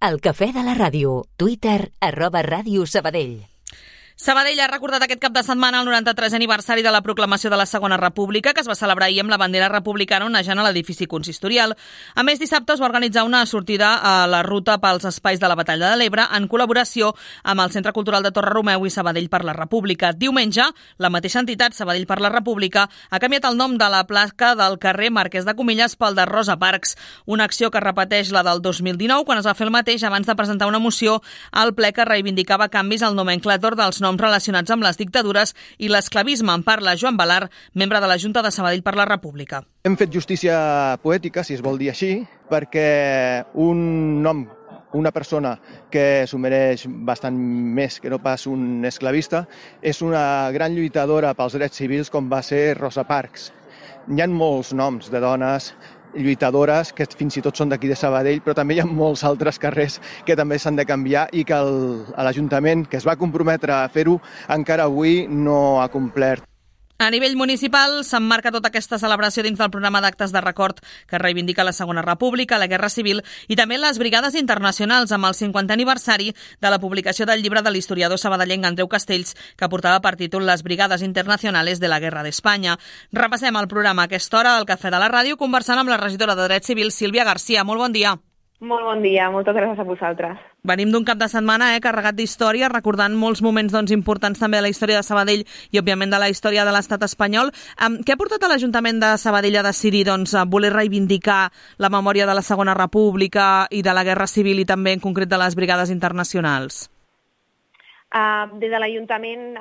El cafè de la ràdio. Twitter, @radiosabadell. Sabadell ha recordat aquest cap de setmana el 93è aniversari de la proclamació de la Segona República, que es va celebrar ahir amb la bandera republicana onejant a l'edifici consistorial. A més, dissabte es va organitzar una sortida a la ruta pels espais de la Batalla de l'Ebre en col·laboració amb el Centre Cultural de Torre Romeu i Sabadell per la República. Diumenge, la mateixa entitat, Sabadell per la República, ha canviat el nom de la placa del carrer Marquès de Comillas pel de Rosa Parks, una acció que repeteix la del 2019, quan es va fer el mateix abans de presentar una moció al ple que reivindicava canvis al nomenclàtor dels noms relacionats amb les dictadures i l'esclavisme. En parla Joan Balar, membre de la Junta de Sabadell per la República. Hem fet justícia poètica, si es vol dir així, perquè un nom, una persona que s'ho mereix bastant més que no pas un esclavista, és una gran lluitadora pels drets civils com va ser Rosa Parks. Hi ha molts noms de dones lluitadores que fins i tot són d'aquí de Sabadell, però també hi ha molts altres carrers que també s'han de canviar i que l'Ajuntament, que es va comprometre a fer-ho, encara avui no ha complert. A nivell municipal s'emmarca tota aquesta celebració dins del programa d'actes de record que reivindica la Segona República, la Guerra Civil i també les Brigades Internacionals amb el 50è aniversari de la publicació del llibre de l'historiador sabadellenc Andreu Castells, que portava per títol Les Brigades Internacionales de la Guerra d'Espanya. Repassem el programa a aquesta hora del Cafè de la Ràdio conversant amb la regidora de Drets Civils, Sílvia García. Molt bon dia. Molt bon dia, moltes gràcies a vosaltres. Venim d'un cap de setmana carregat d'història, recordant molts moments importants també de la història de Sabadell i, òbviament, de la història de l'estat espanyol. Què ha portat a l'Ajuntament de Sabadell a decidir a voler reivindicar la memòria de la Segona República i de la Guerra Civil i també, en concret, de les Brigades Internacionals? Des de l'Ajuntament,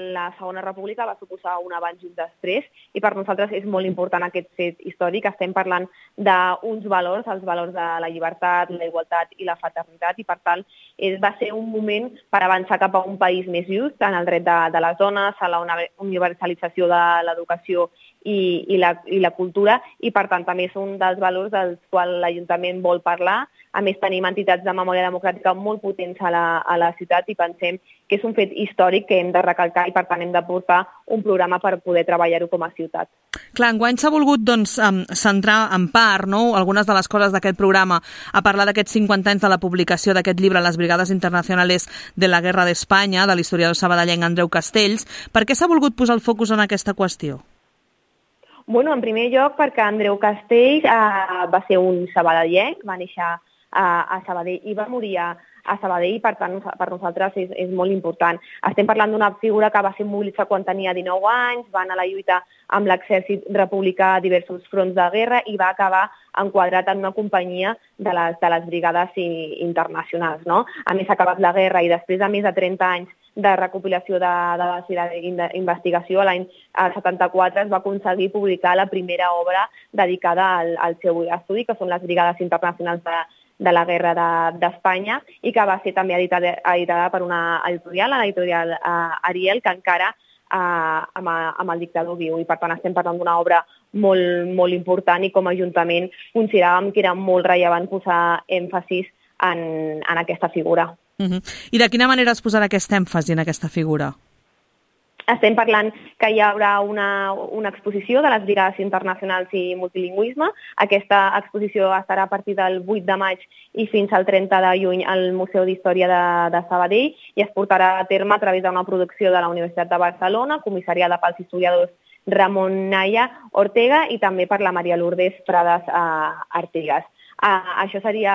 la Segona República va suposar un abans i un després, i per nosaltres és molt important aquest fet històric. Estem parlant d'uns valors, els valors de la llibertat, la igualtat i la fraternitat, i per tant va ser un moment per avançar cap a un país més just en el dret de les dones, a la universalització de l'educació i la cultura, i per tant també és un dels valors dels quals l'Ajuntament vol parlar. A més, tenim entitats de memòria democràtica molt potents a la ciutat i pensem que és un fet històric que hem de recalcar i, per tant, hem de portar un programa per poder treballar-ho com a ciutat. Clar, enguany s'ha volgut centrar en part algunes de les coses d'aquest programa a parlar d'aquests 50 anys de la publicació d'aquest llibre Les Brigades Internacionales de la Guerra d'Espanya, de l'historiador sabadellenc Andreu Castells. Per què s'ha volgut posar el focus en aquesta qüestió? Bueno, en primer lloc perquè Andreu Castells va ser un sabadellenc, va néixer a Sabadell i va morir a Sabadell, i per tant per nosaltres és molt important. Estem parlant d'una figura que va ser mobilitzada quan tenia 19 anys, va anar a la lluita amb l'exèrcit republicà a diversos fronts de guerra i va acabar enquadrat en una companyia de les brigades internacionals. No? A més, ha acabat la guerra i després de més de 30 anys de recopilació de dades i d'investigació, l'any 74 es va aconseguir publicar la primera obra dedicada al seu estudi, que són les Brigades Internacionals de la Guerra d'Espanya, i que va ser també editada per una editorial, l'editorial Ariel, que encara amb el dictador viu, i per tant estem parlant d'una obra molt, molt important, i com a Ajuntament consideràvem que era molt rellevant posar èmfasis en aquesta figura. I de quina manera es posarà aquest èmfasi en aquesta figura? Estem parlant que hi haurà una exposició de les Brigades Internacionals i Multilingüisme. Aquesta exposició estarà a partir del 8 de maig i fins al 30 de juny al Museu d'Història de Sabadell, i es portarà a terme a través d'una producció de la Universitat de Barcelona, comissariada pels historiadors Ramon Naya Ortega i també per la Maria Lourdes Prades Artigas. Això seria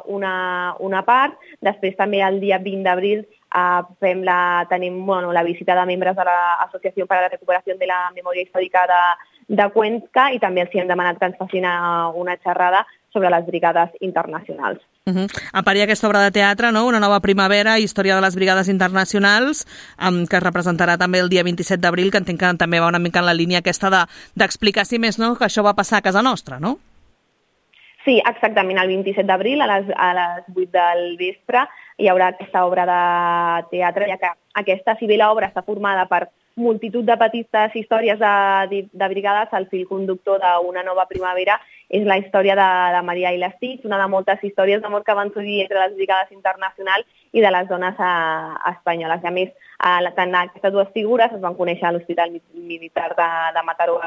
una part. Després també el dia 20 d'abril tenim la visita de membres de l'Associació per a la Recuperació de la Memòria Històrica de Cuenca, i també els hem demanat que ens facin una xerrada sobre les brigades internacionals. A part hi ha aquesta obra de teatre, Una nova primavera, història de les brigades internacionals, que es representarà també el dia 27 d'abril, que entenc que també va una mica en la línia aquesta d'explicar, si més no, que això va passar a casa nostra, no? Sí, exactament. El 27 d'abril a les 8 del vespre hi haurà aquesta obra de teatre, ja que aquesta, si bé l'obra està formada per multitud de petites històries de brigades, el fil conductor d'una nova primavera és la història de Maria i l'Estix, una de moltes històries d'amor que van sorgir entre les brigades internacionals i de les dones espanyoles. I a més, tant aquestes dues figures es van conèixer a l'Hospital Militar de Mataró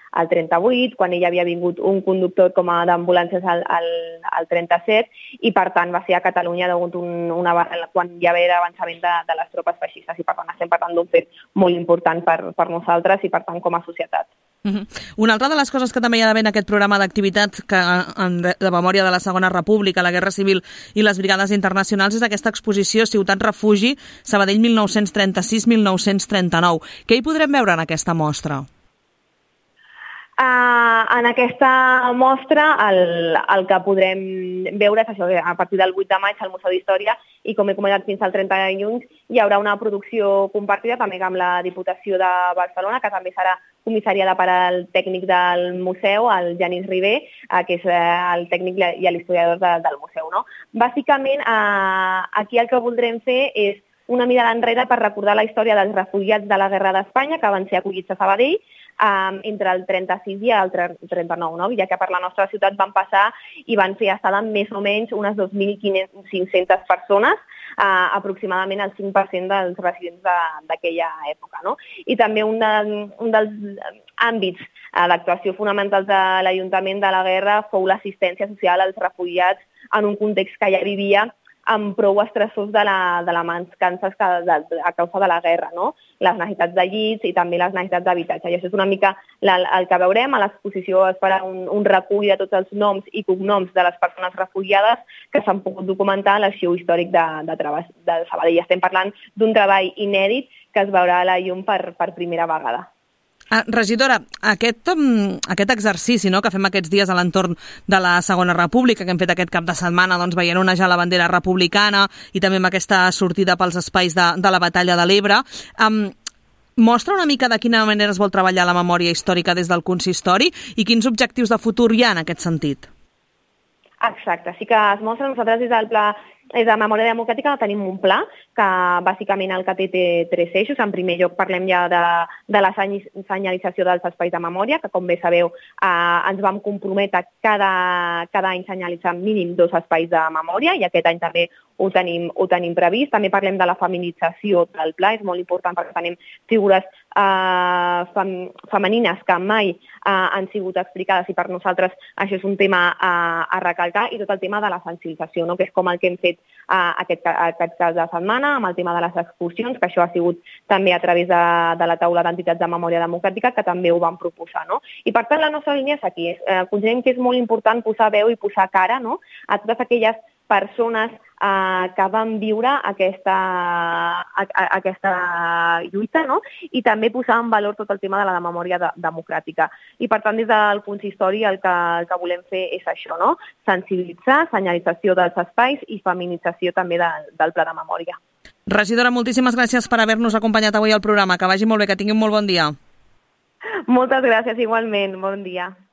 al 38, quan ella havia vingut un conductor com a d'ambulàncies al 37, i per tant va ser a Catalunya quan hi va haver avançament de les tropes feixistes, i per tant estem parlant d'un fet molt important per nosaltres i per tant com a societat. Una altra de les coses que també hi ha d'haver en aquest programa d'activitats de memòria de la Segona República, la Guerra Civil i les Brigades Internacionals és aquesta exposició Ciutat Refugi, Sabadell 1936-1939. Què hi podrem veure en aquesta mostra? En aquesta mostra el que podrem veure és això, a partir del 8 de maig al Museu d'Història, i com he comentat fins al 30 de juny hi haurà una producció compartida també amb la Diputació de Barcelona, que també serà comissariada per al tècnic del museu, el Genís Ribé, que és el tècnic i l'historiador del museu. No? Bàsicament, aquí el que voldrem fer és una mirada enrere per recordar la història dels refugiats de la Guerra d'Espanya que van ser acollits a Sabadell entre el 36 i el 39, no? Ja que per la nostra ciutat van passar i van fer estada més o menys unes 2.500 persones, aproximadament el 5% dels residents d'aquella època. No? I també un dels àmbits d'actuació fonamentals de l'Ajuntament de la Guerra fou l'assistència social als refugiats en un context que ja vivia amb prou estressors de la mancança a causa de la guerra, no? Les necessitats de llits i també les necessitats d'habitatge. I això és una mica el que veurem. A l'exposició es farà un recull de tots els noms i cognoms de les persones refugiades que s'han pogut documentar a l'Arxiu Històric de Sabadell. Estem parlant d'un treball inèdit que es veurà a la llum per primera vegada. Regidora, aquest exercici que fem aquests dies a l'entorn de la Segona República, que hem fet aquest cap de setmana veient onejar la bandera republicana i també amb aquesta sortida pels espais de la Batalla de l'Ebre, mostra una mica de quina manera es vol treballar la memòria històrica des del consistori i quins objectius de futur hi ha en aquest sentit? Exacte, sí que es mostra. Nosaltres des del Pla de Memòria Democràtica tenim un pla que bàsicament el que té 3 eixos. En primer lloc parlem ja de la senyalització dels espais de memòria, que com bé sabeu ens vam comprometre cada any senyalitzar mínim 2 espais de memòria, i aquest any també ho tenim previst. També parlem de la feminització del pla, és molt important perquè tenim figures femenines que mai han sigut explicades i per nosaltres això és un tema a recalcar, i tot el tema de la sensibilització, no? Que és com el que hem fet aquest cap de setmana amb el tema de les excursions, que això ha sigut també a través de la taula d'entitats de memòria democràtica, que també ho van proposar. No? I per tant la nostra línia és aquí. Considerem que és molt important posar veu i posar cara, no? A totes aquelles persones que van viure aquesta lluita, no? I també posar en valor tot el tema de la memòria democràtica. I per tant des del consistori el que volem fer és això, no? Sensibilitzar, senyalització dels espais i feminització també del pla de memòria. Regidora, moltíssimes gràcies per haver-nos acompanyat avui al programa. Que vagi molt bé, que tingui un molt bon dia. Moltes gràcies, igualment. Bon dia.